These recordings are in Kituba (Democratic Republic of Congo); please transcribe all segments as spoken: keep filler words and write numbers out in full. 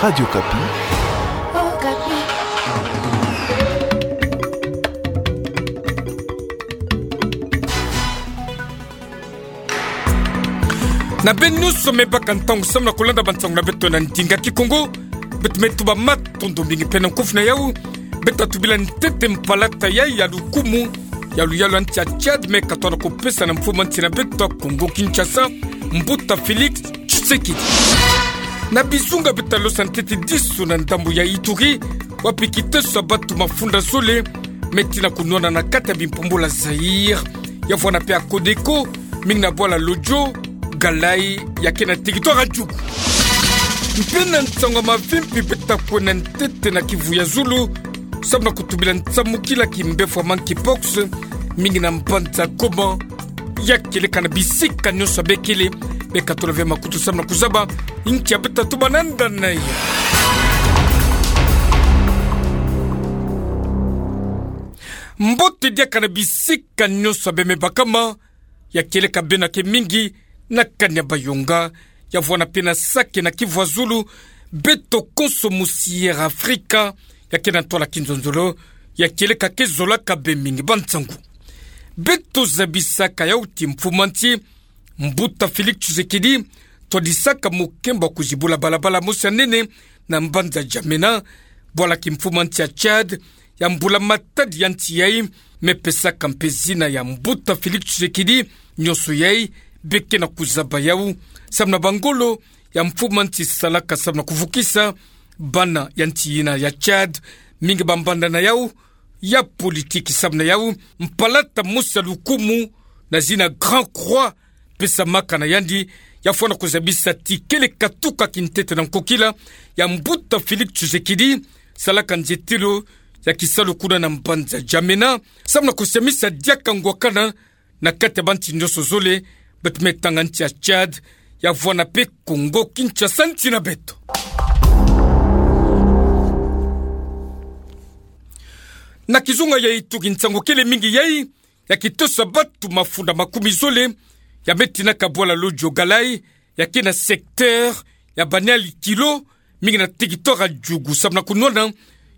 Radio Okapi. Na beno nyonso me baka ntangu samu na kulanda bansangu na beto na ndinga Kikongo. Beto me tuba matondo mingi pe na nkofi na yau. Beto tubila ntete mpalata yai ya lukumu ya luyalu ya nsi ya Tchad me katoa na kupesa na mfumu a nsi na beto Kongo Kinshasa, Mbuta Félix Tshisekedi. Na bizunga beto losa ntete disu na ndambu ya Ituri, wapi kiteso ya bantu mafunda zole me tina kunwana na kati ya bimpumbula Zaïre, ya vwanda pe ya Codeco, mingi na bwala Lodjo Galaï, ya ke na territoire ya Djougou. Mpe na nsangu ya mavimpi beto kwenda ntete na Kivu ya zulu, samu na kutubila nsamukila kimbefo ya monkeypox, mingi na mbanza Goma, ya kieleka na bisika nyonso ya bekele. Beka tula ve makutu samu na kuzaba nki ya beto tuba na nda na ya. Mbote diaka na bisika nyonso ya beno me bakama, ya kieleka beno ya ke mingi na kani ya Bayonga, ya vwanda pe na Sake na Kivu ya zulu, beto konso musi Air Afrika, ya ke na ntwala kinzonzolo, ya kieleka ke zolaka beno mingi bansangu. Beto zabisaka yau ti mfumu a nsi, Mbuta Félix Tshisekedi, twadisaka mukembo wa kuzibula balabala mosi ya nene na mbanza Djamena, bwala kimfumu a nsi ya Tchad, ya mbula-matadi ya nsi yai, me pesaka mpe zina ya Mbuta Félix Tshisekedi, nyonso yai, beke na kuzaba yau, samu na bangolo ya mfumu a nsi salaka samu na kuvukisa bana ya nsi yina ya Tchad, mingi bambanda na yau ya politiki samu na yau, mpalata mosi ya lukumu na zina Grand Croix, pesamaka na yandi, ya vwanda kuzabisa ti kele katuka kintete na nkokila ya Mbuta Félix Tshisekedi, salaka nzietelo ya kisalu kuna na mbanza Djamena, samu na kusamisa diaka ngwakana na kati ya bansi nyonso zole, beto me tanga nsi ya Tchad, ya vwanda pe Kongo Kinshasa nsi na beto. Na kizunga ya Ituri nsangu kele mingi yai, ya kiteso ya bantu mafunda makumi zole, ya me tinaka bwala Lodjo Galaï, ya ke na secteur ya Baniali-Kilo, mingi na territoire ya Djougou, samu na kunwana,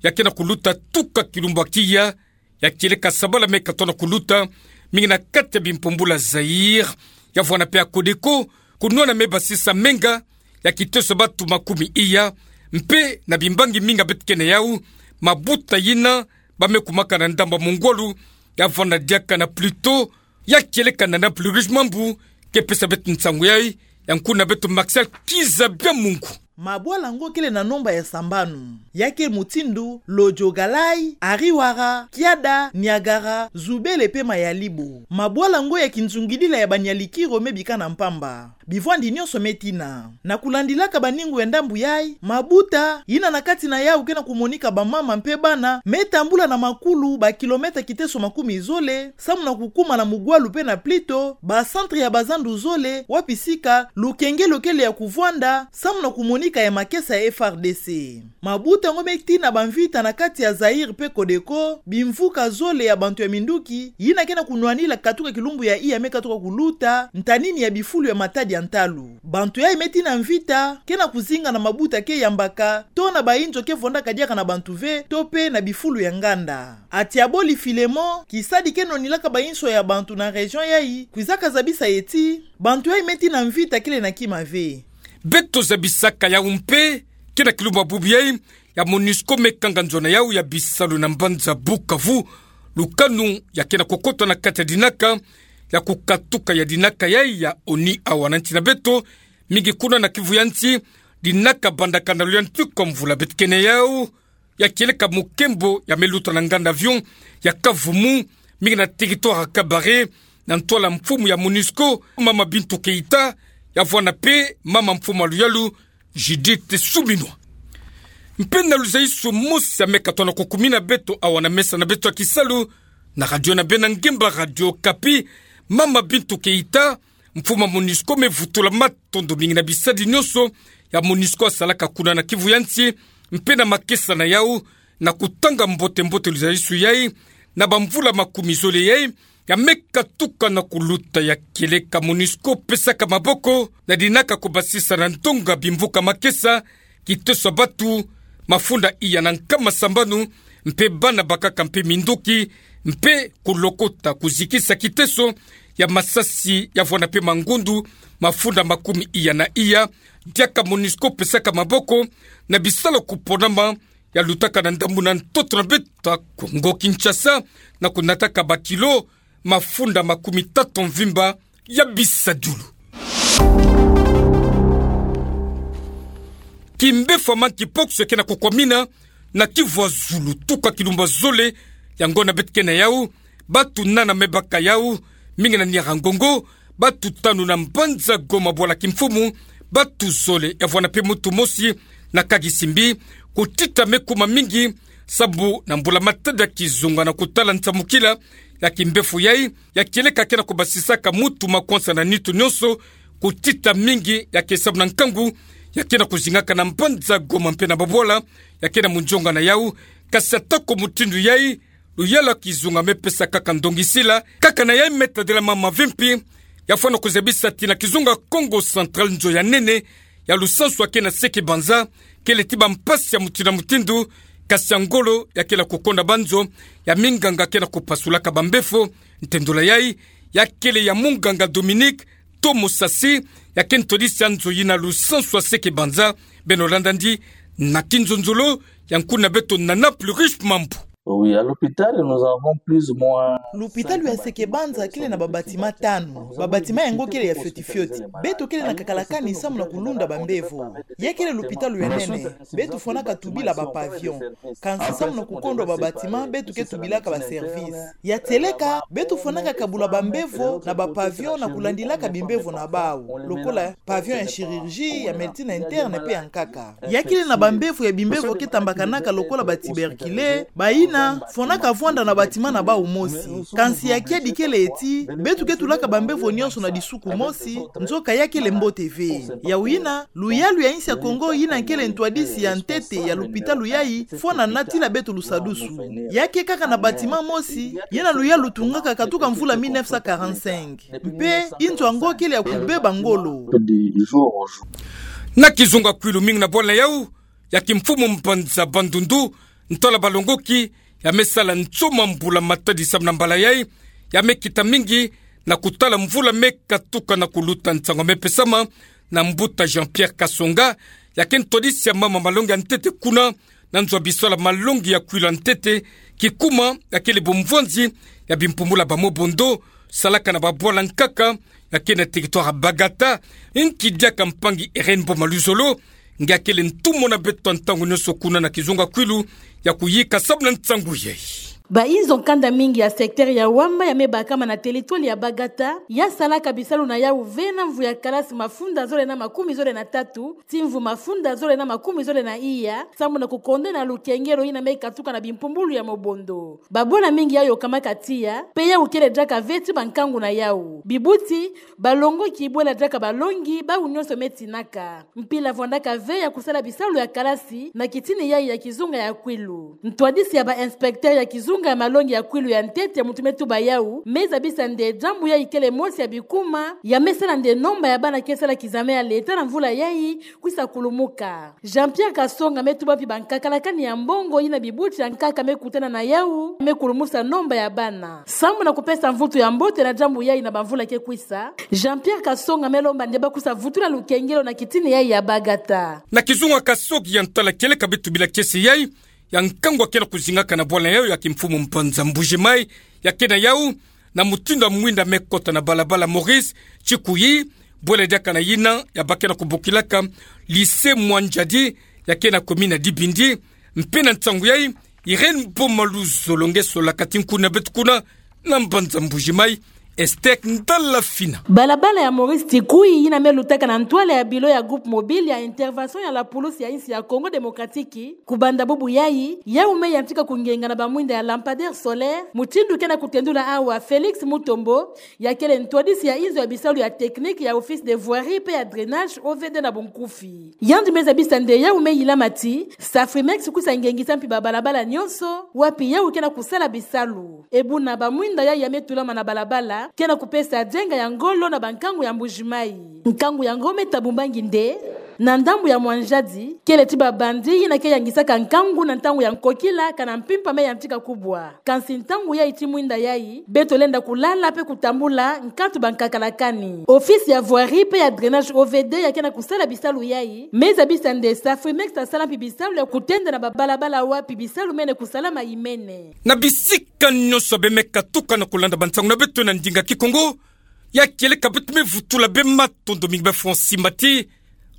ya ke na kuluta tuka kilumbu ya kiya, ya kieleka sabala me katoa na kuluta, mingi na kati ya bimpumbula Zaïre, ya vwanda pe ya Codeco, kunwana me basisa menga, ya kiteso ya bantu makumi iya, mpe na bimbangi mingi ya beto ke na yau, mabuta yina, ba me kumaka na ndambu ya mungwalu, ya vwanda diaka na Pluto, ya kieleka na Naples Rouge Mambu, ke pesa beto nsangu yai, ya nkuna beto Martial Kiza Bya Mungu. Mabwala ngo kele na nomba ya sambanu. Ya ke mutindu, Lodjo Galaï, Ariwara, Kiada, Niagara, Zubele pe Mayalibo. Mabwala ngo ya kinzungidila ya Baniali-Kilo me bika na mpamba. Bivwandi nyonso me tina. Na kulandilaka baningu ya ndambu yai, mabuta, yina na kati na yau ke na kumonika bamama mpe bana, me tambula na makulu ba kilomètre kiteso makumi zole, samu na kukuma na Mungwalu pe na Pluto, ba centre ya bazandu zole, wapi sika, lukengelo kele ya kuvwanda, samu na kumonika ya makesa ya F R D C. Mabuta ngo me tina bamvita na kati ya Zaïre pe Codeco, bimvuka zole ya bantu ya minduki, yina ke na kunwanila katuka kilumbu ya iya me katuka kuluta, ntanini ya bifulu ya matadi ya ntalu. Bantu yai me tina mvita, ke na kuzinga na mabuta ke yambaka, to na bainzo ke vwandaka diaka na bantu ve, to pe na bifulu ya nganda. Atiaboli Filemon, kisadi ke nwanilaka bainzo ya bantu na région yai, kwizaka zabisa ye ti, bantu yai me tina mvita kele na kima ve. Beto zabisaka yau mpe, ke na kilumbu ya bubu yai, ya MONUSCO me kanga nzo na yau ya bisalu na mbanza Bukavu, lukanu ya ke na kukota na kati ya dinaka, ya kukatuka ya dinaka yai ya ONU awa na nsi na beto, mingi kuna na Kivu ya nsi, dinaka bandakana lwa ntuka mvula beto ke na yau, ya kieleka mukembo ya me luta na nganda avion, ya Kavumu, mingi na territoire ya Kabare, na ntwala mfumu ya MONUSCO, mama Bintou Keita, ya vwanda pe, mama mfumu ya luyalu, Judith Suminwa. Mpe na luzaiso mosi ya me katoa na kukumina beto awa na mesa na beto ya kisalu, na radio na beno ya ngemba Radio Okapi, mama Bintou Keita, mfumu ya MONUSCO me vutula matondo mingi na bisadi nyonso ya MONUSCO asalaka kuna na Kivu ya nsi, mpe na makesa na yau, na kutanga mbote-mbote luzaiso yai, na bamvula makumi zole yai, ya me katuka na kuluta ya kieleka MONUSCO pesaka maboko, na dinaka kubasisa na ndonga bimvuka makesa, kiteso ya batu mafunda iya na nkama sambanu, mpe bana bakaka mpe minduki, mpe kulokota kuzikisa kiteso ya masasi ya vwanda mpe mangundu mafunda makumi iya na iya, diaka MONUSCO pesaka maboko na bisalu kuponama ya lutaka na ndambu na ntoto na beto ya Kongo Kinshasa, na kunataka bakilo mafunda makumi tatu mvimba ya bisadulu. Kimbefo ya monkeypox ya ke na kukwamina na Kivu ya Zulu, tuka kilumbu zole. Yango na beto ke na yau, batu nana me baka yau, mingi na niara ngongo, batu tanu na mbanza Goma bwala kimfumu, batu zole ya vwanda mpe muntu mosi na Kagisimbi, kutita me kuma mingi, sabu na mbula-matadi ya kizunga na kutala nsamukila ya kimbefo yai, ya kieleka ke na kubasisaka muntu makwansa na nitu nyonso, kutita mingi ya ke samu na nkangu ya ke na kuzingaka na mbanza Goma mpe na babwala ya ke na munzonga na yau. Kasi atako mutindu yai, luyalu ya kizunga me pesa kaka ndongisila, kaka na yai me tadila mama vimpi, ya fwana kuzabisa ti na kizunga Kongo Central nzo ya nene ya lusansu ya ke na Seke Banza, kele ti bampasi ya mutindu na mutindu, kasi ya ngolo ya ke na kukonda banzo, ya minganga ke na kupasulaka bambefo. Ntendola yai, ya kele ya munganga Dominique Tomo Sasi, ya ke ntwadisi ya nzo yina lusansu ya Seke Banza. Beno landa ndi na kinzonzolo ya nkuna beto Nana Pluriche Mambu. Oui, à l'hôpital, nous avons plus ou moins... Lupitalu ya Seke Banza kele na babâtiment tanu. Babâtiment yango kele ya fioti-fioti. Beto kele na kakalakani samu na kulunda bambevo. Ya kele lupitalu ya nene. Beto fwanaka tubila bapavillon. Kansi samu na kukondwa babâtiment, beto ke tubilaka baservice. Ya tieleka, beto fwanaka kabula bambevo na bapavillon na kulandilaka bimbevo na bau, lokola pavillon ya chirurgie, ya médecine interne mpe ya nkaka. Ya kele na bambevo ya bimbevo ke tambakanaka lokola batuberculeux, bayina fwanaka vwanda na bâtiment na bau mosi. Kansi ya kiadi kele ti, beto ke tulaka bambevo nyonso na disuku mosi, nzoka ya kele mbote ve. Yawu yina, luyalu ya insi ya Kongo yina kele ntwadisi ya ntete ya lupitalu yai, fwana natila beto lusadusu. Ya ke kaka na bâtiment mosi, yina luyalu lutungaka katuka mvula mille neuf cent quarante-cinq. Mpe inzo yango kele ya kubeba ngolo. Na kizunga Kwilu, mingi na bwala yau ya kimfumu mbanza Bandundu, ntwala balongoki ya me sala nsoma mbula-matadi samu na mbala yai, ya me kita mingi na kutala mvula me katuka na kuluta. Nsangu me pesama na mbuta Jean-Pierre Kasonga, ya ke ntwadisi ya mama malongi ya ntete kuna na nzo ya bisalu ya malongi ya Kwilu ya ntete, kikuma ya kele bomvwanzi ya bimpumbulu ya ba Mobondo, salaka na babwala nkaka ya ke na territoire ya Bagata. Nki diaka mpangi Irène Boma Luzolo, nge akele ntumwa na beto ntangu nyonso kuna na kizunga Kwilu, ya kuyika samu na nsangu yai. Bainzo nkanda mingi ya secteur ya Wamba ya me bakama na territoire ya Bagata, ya salaka bisalu na yau ve na mvu ya kalasi mafunda zole na makumi zole na tatu tii mvu mafunda zole na makumi zole na iya, samu na kukondena lukengelo yina me katuka na bimpumbulu ya Mobondo. Babwala mingi ya yokamaka tiya, mpe yau kele diaka ve ti bankangu na yau. Bibuti, balongoki, bwela diaka balongi, bau nyonso me tinaka. Mpila vwandaka ve ya kusala bisalu ya kalasi na kitini yai ya kizunga ya Kwilu. Ntwadisi ya ba inspecteur ya kizunga ya malongi ya Kwilu ya ntete, muntu me tuba yau, me zabisa nde diambu yai kele mosi ya bikuma ya me sala nde nomba ya bana ke sala kizame ya leta na mvula yai kwisa kulumuka. Jean-Pierre Kasonga me tuba mpi bankakalakani ya mbongo yina bibuti ya nkaka me kutana na yau, me kulumusa nomba ya bana. Samu na kupesa mvutu ya mbote na diambu yai na bamvula ke kwisa, Jean-Pierre Kasonga me lomba nde ba kwisa vutula lukengelo na kitini yai ya Bagata. Na kizunga Kasoki ya ntwala kieleka beto bila kiese yai, ya nkangu ya ke na kuzingaka na bwala yau ya kimfumu mbanza Mbuji-Mayi, ya ke na yau na mutindu ya mwinda me kota na balabala Maurice Tshikuyi, bwela diaka na yina ya ba ke na kubokilaka lycée Mwanjadi, ya ke na commune ya Dibindi. Mpe na nsangu yai, Irène Boma Luzolo nge solaka ti nkuna beto kuna na mbanza Mbuji-Mayi, Esther Ndala Fina. Balabala ya Maurice Tshikuyi yina me lutaka na ntwala ya bilo ya groupe mobile ya intervention ya la police ya insi ya Congo Démocratique, kubanda bubu yai, yau me yantika kungenga na bamwinda ya lampadaire solaire, mutindu ke na kutendula awa Félix Mutombo, ya kele ntwadisi ya inzo ya bisalu ya technique ya Office de voirie mpe ya drainage, O V D na bunkufi. Yandi me zabisa nde yau me yilama ti Safrimex kwisa ngengisa mpi babalabala nyonso, wapi yau ke na kusala bisalu. E buna bamwinda yai ya me tulama na balabala, ke na kupesa dienga ya ngolo na bankangu ya Mbuji-Mayi. Nkangu yango me tabumbangi nde Na ndambu ya mwanjadi, kele ti ba bandits yina ke yangisaka nkangu na ntangu ya nkokila kana mpimpa me yantika kubwa. Kansi ntangu yayi ti mwinda yayi, beto lenda kulala pe kutambula nkatu ba nkakala kani. Office ya voirie pe ya drainage, O V D, ya ke na kusala bisalu yayi me zabisa nde sa Frimex asala mpi bisalu ya kutenda na ba balabala wapi bisalu mene kusalama imene. Na bisika nyonso bemeka tuka na kulanda bansangu na beto na ndinga Kikongo, ya kieleka beto me vutula bematondo mingi bê Francis Mbaty,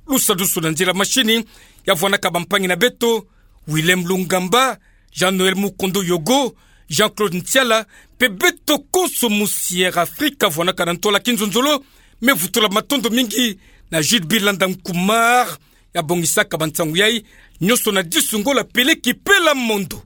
lusadusu na nzila machine, ya vwanaka bampangi na beto, Willem Lungamba, Jean-Noël Mukondo Yogo, Jean-Claude Ntiala, pe beto konso musi Air Afrique vwanaka na ntola kinzonzolo, me vutula matondo mingi na Jules Bilanda Nkumar, ya bongisaka bansangu yayi, nyonso na disu ngola peleki pela mondo.